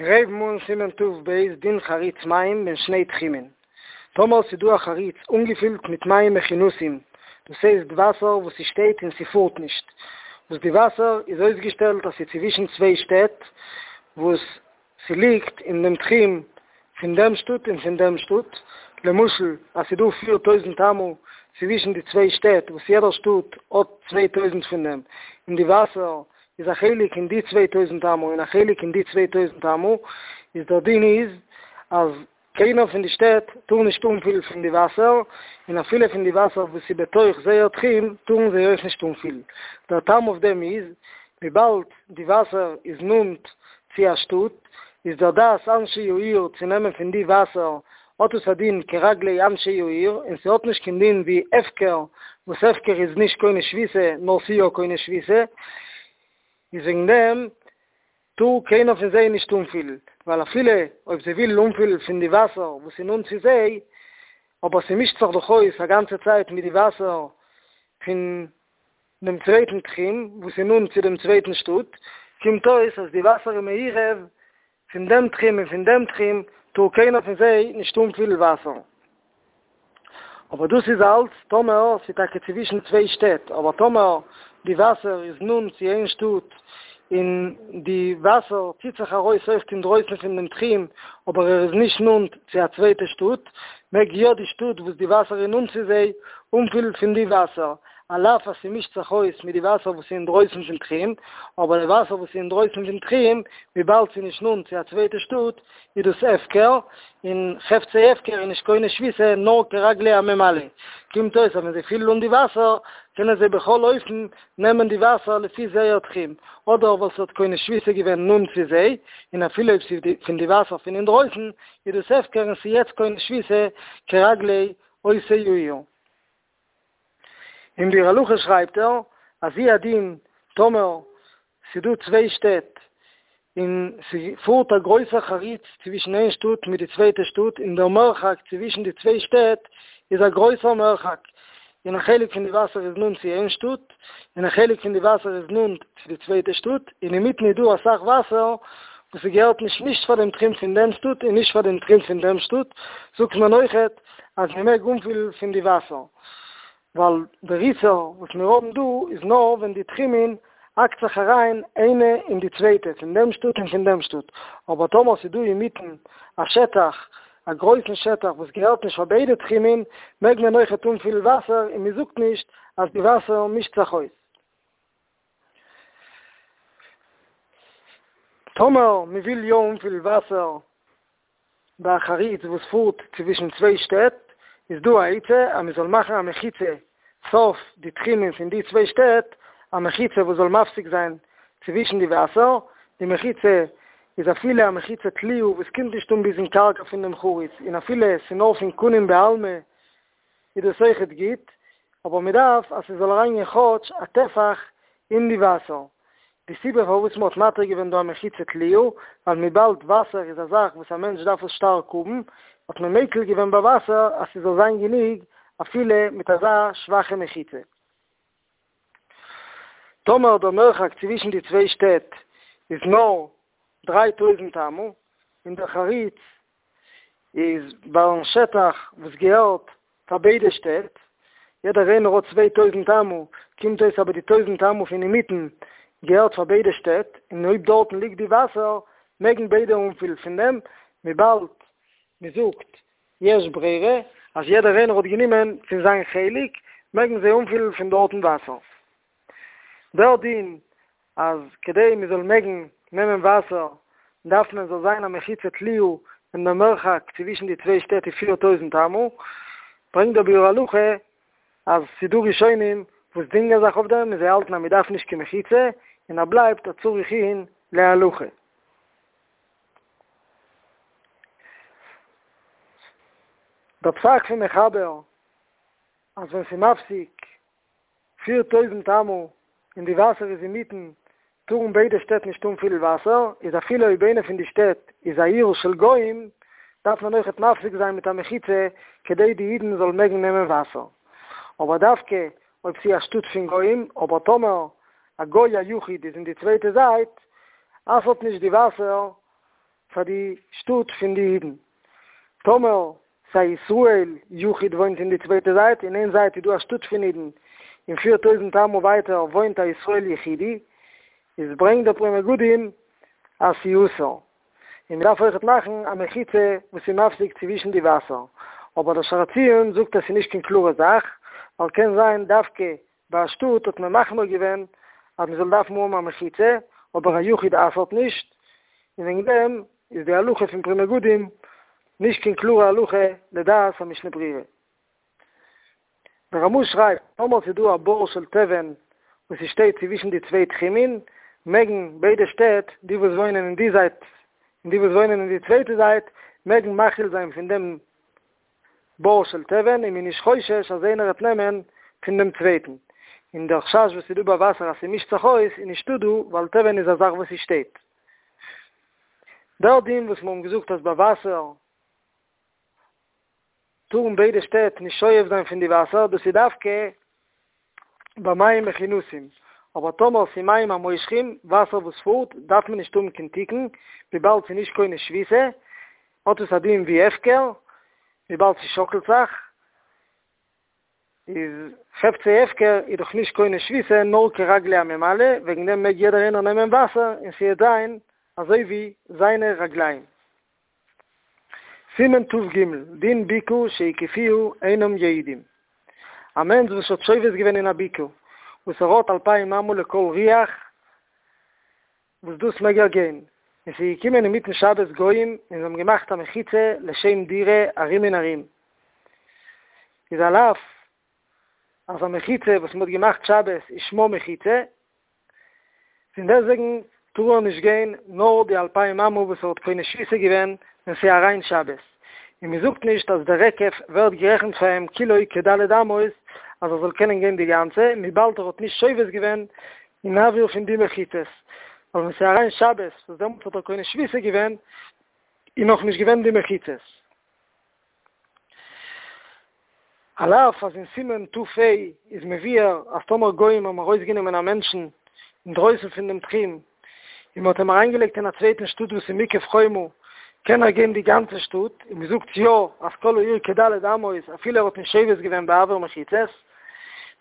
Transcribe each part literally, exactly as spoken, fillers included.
מיר הייבן אן סימן ת"ב דין חריץ מים בין שני תחומין. טאמער ס'דא א חריץ אנגעפילט מיט מים מכונסים, דאס הייסט וואסער וואס ס'שטייט און ס'פארט נישט, וואס די וואסער איז אויסגעשטעלט אז ס'איז צווישן צוויי שטעט וואס ס'ליגט אין דעם תחום פון דעם שטאט און פון דעם שטאט, למשל אז ס'דא פיר טויזנט אמה צווישן די צוויי שטעט וואס יעדער שטאט האט צוויי טויזנט פון דעם, און די וואסער איז א חלק אין די צוויי טויזנט אמה און א חלק אין די צוויי טויזנט אמה, איז דער דין איז אז קיינער פון די שטעט טאר נישט אנפילן פון די וואסער, און אפילו פון די וואסער וואס איז בתוך זייער תחום טארן זיי אויך נישט אנפילן. דער טעם אויף דעם איז, וויבאלד די וואסער איז נאנט צו א שטאט, איז דער דעת אנשי העיר צו נעמען פון די וואסער האט עס א דין כרגלי אנשי העיר, און ס'האט נישט קיין דין ווי הפקר, וואס הפקר איז נישט קונה שביתה, נאר ס'יא קונה שביתה, איז וועגן דעם טאר קיינער פון זיי נישט אנפילן, ווייל אפילו אויב זיי ווילן אנפילן פון די וואסער וואס איז נאנט צו זיי, אבער ס'מישט זיך דאך אויס א גאנצע צייט מיט די וואסער פון דעם צווייטן תחום וואס איז נאנט צו דעם צווייטן שטאט, קומט אויס אז די וואסער איז מעורב פון דעם תחום און פון דעם תחום, טאר קיינער פון זיי נישט אנפילן וואסער. אבער דאס איז אלץ טאמער ס'איז טאקע צווישן צוויי שטעט, אבער טאמער די וואסער איז נאנט צו איין שטאט און די וואסער ציט זיך ארויס אויך אינדרויסן פון דעם תחום אבער ער איז נישט נאנט צו א צווייטע שטאט, מעג יא די שטאט וואס די וואסער איז נאנט צו זיי אנפילן פון די וואסער, על אף אז ס'מישט זיך אויס מיט די וואסער וואס איז אינדרויסן פון תחום, אבער די וואסער וואס איז אינדרויסן פון תחום, וויבאלד ס'איז נישט נאנט צו א צווייטע שטאט, איז דאס הפקר, און חפצי הפקר איז נישט קונה שביתה נאר כרגלי הממלא. קומט אויס אז ווען זיי פילן אן די וואסער, קענען זיי בכל אופן נעמען די וואסער לפי זייער תחום, אדער ווייל ס'האט קונה שביתה געווען נאנט צו זיי, און אפילו אויב ס'איז פון די וואסער פון אינדרויסן, איז דאס הפקר און ס'איז יעצט קונה שביתה כרגלי עושי העיר. אין ביאור הלכה שרייבט ער אז הוא הדין טאמער ס'דא צוויי שטעט און ס'פארט א גרויסער חריץ צווישן איין שטאט מיט די צווייטע שטאט און דער מרחק צווישן די צוויי שטעט איז א גרויסער מרחק און א חלק פון די וואסער איז נאנט צו איין שטאט און א חלק פון די וואסער איז נאנט צו די צווייטע שטאט און אינמיטן איז דא אסאך וואסער וואס ס'געהערט נישט נישט פאר דעם תחום פון דעם שטאט און נישט פאר דעם תחום פון דעם שטאט זאגט מען אויכעט אז מ'מעג אנפילן פון די וואסער ווייל דער איסור וואס מיר האבן דא איז נאר ווען די תחומין האקט זיך אריין איינע אין די צווייטע, פון דעם שטאט און פון דעם שטאט, אבער טאמער ס'איז דא אינמיטן א שטח, א גרויסן שטח וואס געהערט נישט פאר ביידע תחומין, מעג מען אויכעט אנפילן וואסער און מ'זאגט נישט אז די וואסער מישט זיך אויס. טאמער מ'וויל יא אנפילן וואסער ביי א חריץ וואס פארט צווישן צוויי שטעט, איז דא א עצה אז מען זאל מאכן א מחיצה סוף די תחומים פון די צוויי שטעט, א מחיצה וואס זאל מפסיק זיין צווישן די וואסער, די מחיצה איז אפילו א מחיצה תלויה וואס קומט נישט אן ביזן קרקע פון דעם חריץ, און אפילו ס'נאר פון קנים בעלמא איז דאס אויכעט גוט, אבער מען דארף אז ס'זאל אריינגיין כאטש א טפח אין די וואסער. די סיבה פארוואס מען האט מתיר געווען דא א מחיצה תלויה, ווייל וויבאלד וואסער איז א זאך וואס א מענטש דארף עס שטארק האבן, האט מען מיקל געווען ביי וואסער אז ס'זאל זיין גענוג אפילו מיט אזא שוואכע מחיצה. טאמער דער מרחק צווישן די צוויי שטעט איז נאר דריי טויזנט אמה, און דער חריץ איז ביים שטח וואס געהערט פאר ביידע שטעט, יעדער איינער האט צוויי טויזנט אמה, קומט אויס אבער די טויזנט אמה פון אינמיטן געהערט פאר ביידע שטעט, און אויב דארטן ליגט די וואסער מעגן ביידע אנפילן פון דעם, וויבאלד מען זאגט יש ברירה אז יעדער איינער האט גענומען פון זיין חלק, מעגן זיי אנפילן פון דארטן וואסער. דער דין אז כדי מען זאל מעגן נעמען וואסער דארף מען זאל זיין א מחיצה תלויה און דער מרחק צווישן די צוויי שטעט איז פיר טויזנט אמה, ברענגט דער ביאור הלכה אז ס'דא ראשונים וואס דינגען זיך אויף דעם און זיי האלטן אז מען דארף נישט קיין מחיצה און ער בלייבט א צריך עיון להלכה. דער פסק פון מחבר אז ווען ס'מפסיק פיר טויזנט אמה און די וואסער איז אינמיטן, טארן ביידע שטעט נישט אנפילן וואסער, איז אפילו אויב איינע פון די שטעט איז א עיר של גוים, דארף מען אויכעט מפסיק זיין מיט א מחיצה כדי די אידן זאלן מעגן נעמען וואסער. אבער דווקא אויב ס'איז א שטאט פון גוים, אבער טאמער א גוי א יחיד איז אין די צווייטע זייט, אסר'ט נישט די וואסער פאר די שטאט פון די אידן. טאמער ס'א ישראל יחיד וואוינט אין די צווייטע זייט, אין איין זייט איז דא א שטאט פון אידן, און פיר טויזנט אמה ווייטער וואוינט א ישראל יחידי, איז ברענגט דער פרי מגדים אז ס'איז אסור. און מ'דארף אויכעט מאכן א מחיצה וואס איז מפסיק צווישן די וואסער. אבער דער שער הציון זאגט אז ס'איז נישט קיין קלארע זאך, ווייל קען זיין דווקא ביי א שטאט האט מען מחמיר געווען אז מ'זאל דארפן האבן א מחיצה, אבער א יחיד אסר'ט נישט, און וועגן דעם איז די הלכה פון פרי מגדים נישט קיין קלארע הלכה לדעת המשנה ברורה. דער רמ"א שרייבט, טאמער ס'איז דא א בור של תבן וואס ס'שטייט צווישן די צוויי תחומין, מעגן ביידע שטעט, די וואס וואוינען אין די זייט און די וואס וואוינען אין די צווייטע זייט, מעגן מאכיל זיין פון דעם בור של תבן און מ'איז נישט חושש אז איינער וועט נעמען פון דעם צווייטן. און דער חשש וואס איז דא ביי וואסער אז ס'מישט זיך אויס איז נישטא דא, ווייל תבן איז א זאך וואס ס'שטייט. דער דין וואס מיר האבן געזאגט אז ביי וואסער טארן ביידע שטעט נישט שואב זיין פון די וואסער, דאס איז דווקא ביי מים מכונסים, אבער טאמער ס'איז מים המושכים, וואסער וואס פארט, דארף מען נישט האבן קיין תיקון, וויבאלד ס'איז נישט קונה שביתה, האט עס א דין ווי הפקר, וויבאלד ס'שאקלט זיך, איז חפצי הפקר איז דאך נישט קונה שביתה נאר כרגלי הממלא, וועגן דעם מעג יעדער איינער נעמען וואסער און ס'וועט זיין אזוי ווי זיינע רגליים. סימן ת"ג, דין בקעה שהקיפוה אינם יעידים. א מענטש וואס האט שובת געווען אין א בקעה וואס ער האט אלפיים אמה לכל רוח, וואס דאס מעג ער גיין, און ס'איז געקומען אינמיטן שבת גוים און זיי האבן געמאכט א מחיצה לשם דירה ארום און ארום, איז על אף אז א מחיצה וואס מ'האט געמאכט שבת איז שמה מחיצה, פון דעסטוועגן טאר ער נישט גיין נאר די אלפיים אמה וואס ער האט קונה שביתה געווען ווען ס'איז אריין שבת, און מ'זאגט נישט אז דער היקף ווערט גערעכנט פאר אים כולו כד' אמות אז ער זאל קענען גיין די גאנצע, וויבאלד ער האט נישט שובת געווען אין אוויר פון די מחיצות, ווייל ווען ס'איז אריין שבת וואס דעמאלטס האט ער קונה שביתה געווען איז נאך נישט געווען די מחיצות. על אף אז אין סימן ת"ה איז מבואר אז טאמער גוים האבן ארויסגענומען א מענטשן אינדרויסן פון דעם תחום און מ'האט אים אריינגעלייגט אין א צווייטן שטאט וואס איז מוקף חומה קען ער גיין די גאנצע שטאט, און מ'זאגט יא אז כל העיר כד' אמות אפילו ער האט נישט שובת געווען באוויר מחיצות.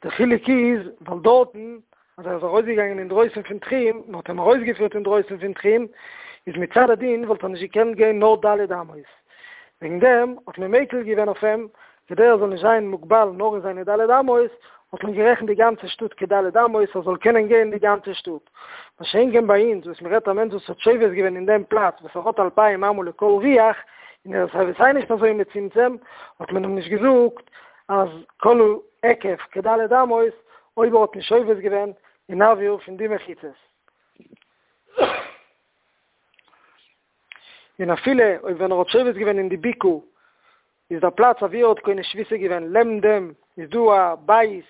דער חילוק איז ווייל דארטן אז ער איז ארויסגעגאנגען אינדרויסן פון תחום, מען האט אים ארויסגעפירט אינדרויסן פון תחום, איז מצד הדין וואלט ער נישט געקענט גיין נאר ד' אמות. וועגן דעם האט מען מיקל געווען אויף אים, כדי ער זאל נישט זיין מוגבל נאר אין זיינע ד' אמות, האט מען גערעכנט די גאנצע שטאט כד' אמות, ער זאל קענען גיין די גאנצע שטאט. מה שאין כן ביי אונז, וואס מען רעדט א מענטש וואס האט שובת געווען אין דעם פלאץ וואס ער האט אלפיים אמה לכל רוח, און ער איז סיי ווי סיי נישט אזוי מצומצם, האט מען אים נישט געזאגט אז כל ההיקף כד' אמות, אויב ער האט נישט שובת געווען אין אוויר פון די מחיצות. און אפילו אויב ווען ער האט שובת געווען אין די בקעה איז דער פלאץ אוואו ער האט קונה שביתה געווען לעבן דעם איז דא א בית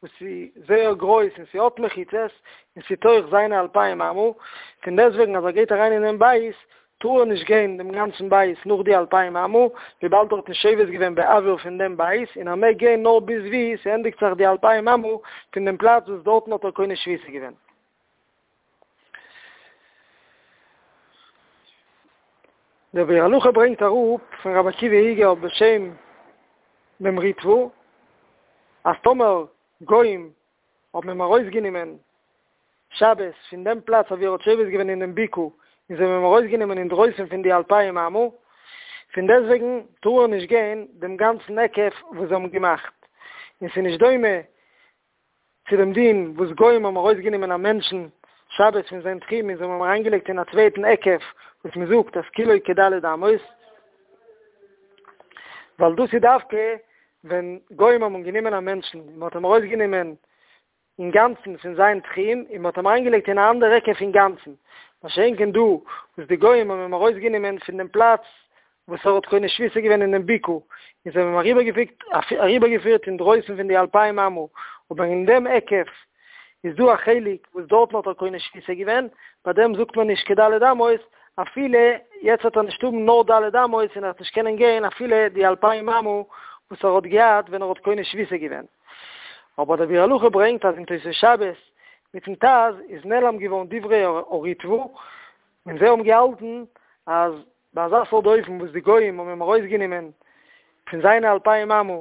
וואס איז זייער גרויס און ס'האט מחיצות און ס'תוך זיינע אלפיים אמה, פון דעסטוועגן אז ער גייט אריין אינעם בית טאר ער נישט גיין דעם גאנצן בית נאך די אלפיים אמה, וויבאלד ער האט נישט שובת געווען באוויר פון דעם בית, און ער מעג גיין נאר ביז ווי ס'ענדיגט זיך די אלפיים אמה פון דעם פלאץ וואס דארטן האט ער קונה שביתה געווען. דער ביאור הלכה ברענגט אראפ פון רבי עקיבא איגר בשם דעם ריטב"א, אז טאמער גוים האבן אים ארויסגענומען שבת פון דעם פלאץ אוואו ער האט שובת געווען אין דעם בקעה, און זיי האבן אים ארויסגענומען אינדרויסן פון די אלפיים אמה, פון דעסטוועגן טאר ער נישט גיין דעם גאנצן היקף וואס זיי האבן געמאכט, און ס'איז נישט דומה צו דעם דין וואס גוים האבן ארויסגענומען א מענטשן שבת פון זיין תחום און זיי האבן אים אריינגעלייגט אין א צווייטן היקף וואס מען זאגט אז כולו כד' אמות, ווייל דאס איז דווקא ווען גוים האבן גענומען א מענטשן און מען האט אים ארויסגענומען אינגאנצן פון זיין תחום און מען האט אים אריינגעלייגט אין א אנדער היקף אינגאנצן, מה שאין כן דא וואס די גוים האבן אים ארויסגענומען פון דעם פלאץ וואס ער האט קונה שביתה געווען אין דעם בקעה, און זיי האבן אים אריבערגעפיקט אריבערגעפירט אינדרויסן פון די אלפיים אמה, אבער אין דעם היקף איז דא א חלק וואס דארטן האט ער קונה שביתה געווען, ביי דעם זאגט מען נישט כד' אמות, אפילו יעצט וועט ער נישט האבן נאר ד' אמות און ער וועט נישט קענען גיין אפילו די אלפיים אמה וואס ער האט געהאט ווען ער האט קונה שביתה געווען. אבער דער ביאור הלכה ברענגט אז אין תוספות שבת מיטן ט"ז איז נעלם געווארן דברי הריטב"א, און זיי האבן געהאלטן אז ביי אזא סארט אופן וואס די גוים האבן אים ארויסגענומען פון זיינע אלפיים אמה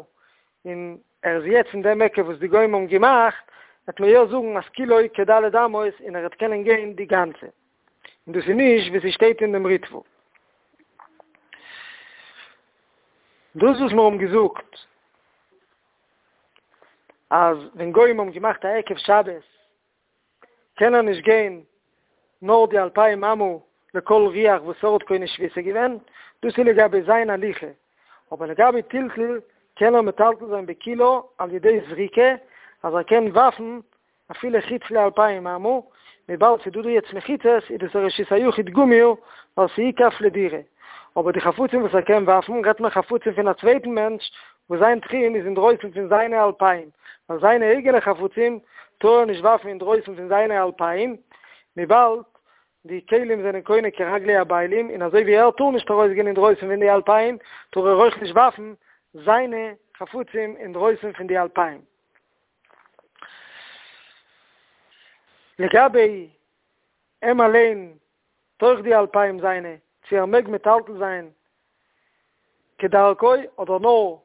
און ער איז יעצט אין דעם היקף וואס די גוים האבן געמאכט, וועט מען יא זאגן אז כולו כד' אמות און ער וועט קענען גיין די גאנצע. און דאס איז נישט ווי ס'שטייט אין דעם ריטבא. דאס וואס מיר האבן געזאגט אז ווען גוים האבן געמאכט א היקף שבת קען ער נישט גיין נאר די אלפיים אמה לכל רוח וואס ער האט קונה שביתה געווען, דאס איז לגבי זיין הליכה, אבער לגבי טלטול קען ער מטלטל זיין בכולה על ידי זריקה, אז ער קען ווארפן אפילו חוץ לאלפיים אמה, וויבאלד ס'איז דא דא יעצט מחיצות איז דאס א רשות היחיד גמור ווייל ס'איקף לדירה, אבער די חפצים וואס ער קען ווארפן רעדט מען חפצים פון א צווייטן מענטש וואס זיין תחום איז אינדרויסן פון זיינע אלפיים, ווייל זיינע אייגענע חפצים טאר ער נישט ווארפן אינדרויסן פון זיינע אלפיים, וויבאלד די כלים זענען קונה כרגלי הבעלים, און אזוי ווי ער טאר נישט ארויסגיין אינדרויסן פון די אלפיים, טאר ער אויך נישט ווארפן זיינע חפצים אינדרויסן פון די אלפיים. לגבי אים אליין תוך די אלפיים זיינע, צו ער מעג מטלטל זיין כדרכו אדער נאר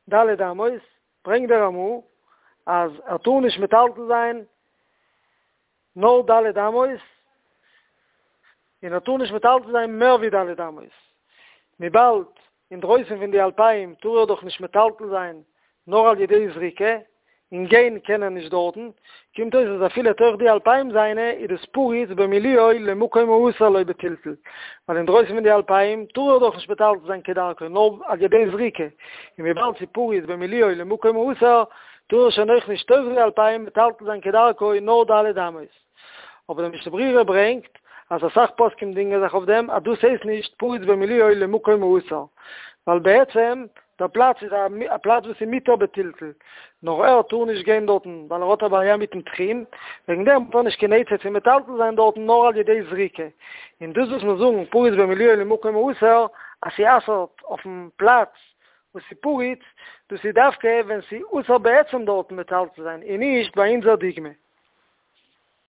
ד' אמות, ברענגט דער רמ"א אז ער טאר נישט מטלטל זיין נאר ד' אמות, און ער טאר נישט מטלטל זיין מער ווי ד' אמות, וויבאלד אינדרויסן פון די אלפיים טאר ער דאך נישט מטלטל זיין נאר על ידי זריקה, און גיין קען ער נישט דארטן, קומט אויס אז אפילו תוך די אלפיים זיינע איז דאס פרוץ במילואו למקום האסור לו בטלטול, ווייל אינדרויסן פון די אלפיים טאר ער דאך נישט מטלטל זיין כדרכו נאר על ידי זריקה, און וויבאלד ס'איז פרוץ במילואו למקום האסור טאר ער שוין אויך נישט תוך די אלפיים מטלטל זיין כדרכו נאר ד' אמות. אבער דער משנה ברורה ברענגט אז אסאך פוסקים דינגען זיך אויף דעם אז דאס הייסט נישט פרוץ במילואו למקום האסור, ווייל בעצם דער פלאץ איז א פלאץ וואס איז מותר בטלטול, נאר ער טאר נישט גיין דארטן ווייל ער האט א בעיה מיטן תחום, וועגן דעם האט ער נישט קיין עצה צו מטלטל זיין דארטן נאר על ידי זריקה, און דאס וואס מיר זאגן פרוץ במילואו למקום האסור אז ס'אסר'ט אויפן פלאץ וואס איז פרוץ, דאס איז דווקא ווען ס'איז אסור בעצם דארטן מטלטל זיין און נישט ביי אונזער דוגמא.